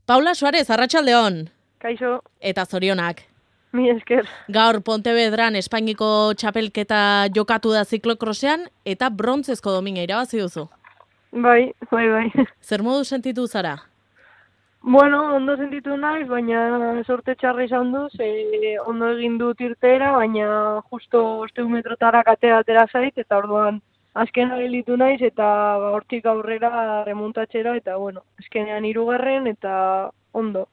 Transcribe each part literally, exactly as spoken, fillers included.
Paula Suarez, arratsaldeon. Kaixo. Eta zorionak. Mi esker. Gaur Pontevedran Espainiko txapelketa jokatu da ziklokrosean eta brontzezko domina irabazi duzu. Bai, bai, bai. Zer modu sentitu zara? Bueno, ondo sentitu naiz, baina sorte txarra izan du, ze ondo egin dut irteera, baina justo osteun metrotara katea atera zait, eta orduan azken gelditu naiz, eta hortik aurrera remontatxera, eta bueno, azkenean hirugarren eta ondo.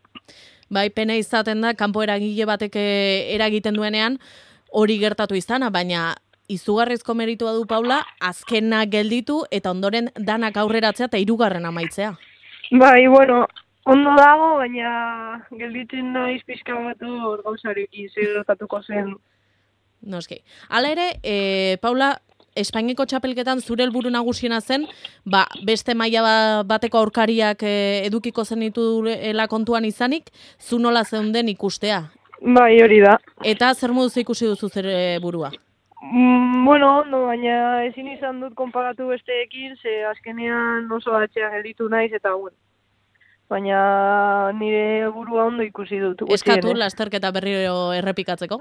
Bai, pena izaten da, kanpo eragile batek eragiten duenean, hori gertatu izana, baina izugarrizko meritua du Paula, azkena gelditu eta ondoren danak aurreratzea eta hirugarren amaitzea. Bai, bueno, ondo dago, baina gelditzen naiz pixka bat hor gauzarekin zer gertatuko zen. Noski. Hala ere, e, Paula, Espainiako txapelketan zure helburu nagusiena zen, ba, beste maila bateko aurkariak e, edukiko zenituela kontuan izanik, zu nola zeunden ikustea. Bai, hori da. Eta zer moduz ikusi duzu zure burua? Mm, bueno, ondo, baina ezin izan dut konparatu besteekin, ze azkenean oso atxean gelditu naiz, eta bueno. Baina nire burua ondo ikusi dut. Eskatu lasterketa berriro errepikatzeko?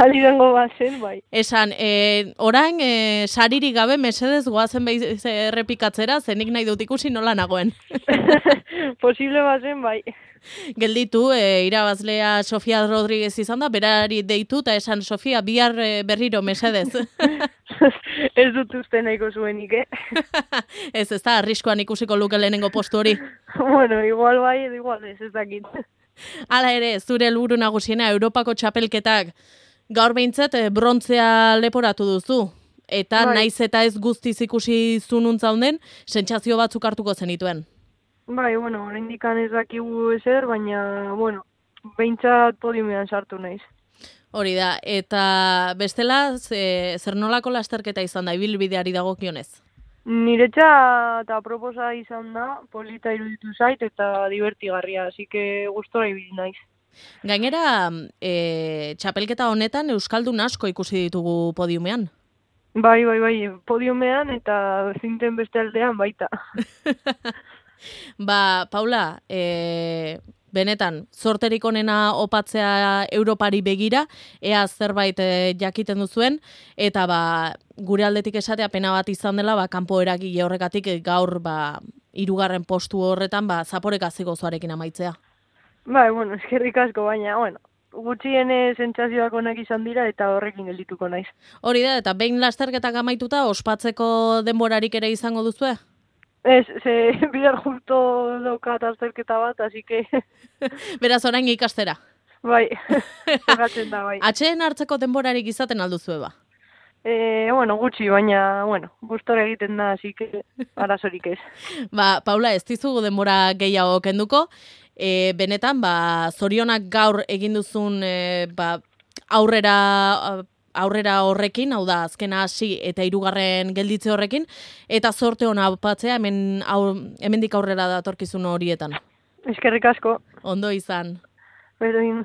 Ali dengo bazen, bai. Esan, e, orain, e, saririk gabe mesedez goazen behiz errepikatzera, zenik nahi dut ikusi nola nagoen. Posible bazen, bai. Gelditu, e, irabazlea Sofia Rodríguez izan da, berari deitu, eta esan, Sofia, bihar e, berriro mesedez. Ez dut uste nahiko zuenik, eh? Ez, ez da, arriskoan ikusiko luke lehenengo postu hori. Bueno, igual bai, edo igual ez, ez dakit. Hala ere, zure helburu nagusiena Europako txapelketak gaur behintzat brontzea leporatu duzu. Eta bai. Naiz eta ez guztiz ikusi zununtza honden, sentsazio batzuk hartuko zenituen. Bai, bueno, oraindik ez dakigu ezer, baina, bueno, behintzat podiumean sartu naiz. Hori da, eta bestela, ze, zer nolako lasterketa izan da, ibilbideari dagokionez? Niretza eta proposa izan da, polita iruditu zait eta divertigarria, así que gustora ibili naiz. Gainera, e, txapelketa honetan euskaldun asko ikusi ditugu podiumean. Bai, bai, bai, podiumean eta zinten beste aldean baita. Ba, Paula, e, benetan, zorterik onena opatzea Europari begira, ea zerbait e, jakiten duzuen, eta ba, gure aldetik esatea pena bat izan dela, ba, kanpo eragile horrekatik gaur ba, hirugarren postu horretan, ba, zaporek aziko zoarekin amaitzea. Bai, bueno, eskerrik asko, baina, bueno, gutxien sentsazioak onak izan dira eta horrekin geldituko naiz. Hori da, eta behin lasterketak amaituta, ospatzeko denborarik ere izango duzue? Ez, ze bidar justo daukat azterketa bat, así que... Beraz, orain ikastera. Bai, jokatzen da, bai. Atxeen hartzeko denborarik izaten alduzue ba? E, bueno, gutxi, baina, bueno, gustora egiten da, así que arazorik ez. Ba, Paula, ez dizugu denbora gehiago kenduko, e, benetan, ba, zorionak gaur egin duzun e, ba, aurrera... aurrera horrekin, hau da, azkena hasi eta hirugarren gelditze horrekin, eta zorte hona opatzea hemen, aur, hemendik aurrera datorkizun horietan. Eskerrik asko. Ondo izan. Berdin.